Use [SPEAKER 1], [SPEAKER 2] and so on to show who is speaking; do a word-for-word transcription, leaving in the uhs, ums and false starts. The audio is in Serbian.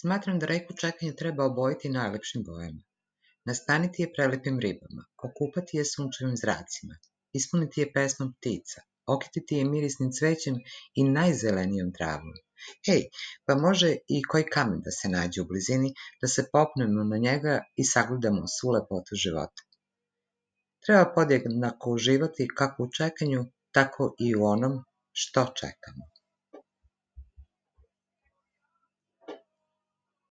[SPEAKER 1] Smatram da reku čekanja treba obojiti najlepšim bojama. Nastaniti je prelepim ribama, okupati je sunčevim zracima, ispuniti je pesmom ptica, okititi je mirisnim cvećem i najzelenijom travom. Hej, pa može i koji kamen da se nađe u blizini, da se popnemo na njega i sagledamo svu lepotu života. Treba podjednako uživati kako u čekanju, tako i u onom što čekamo.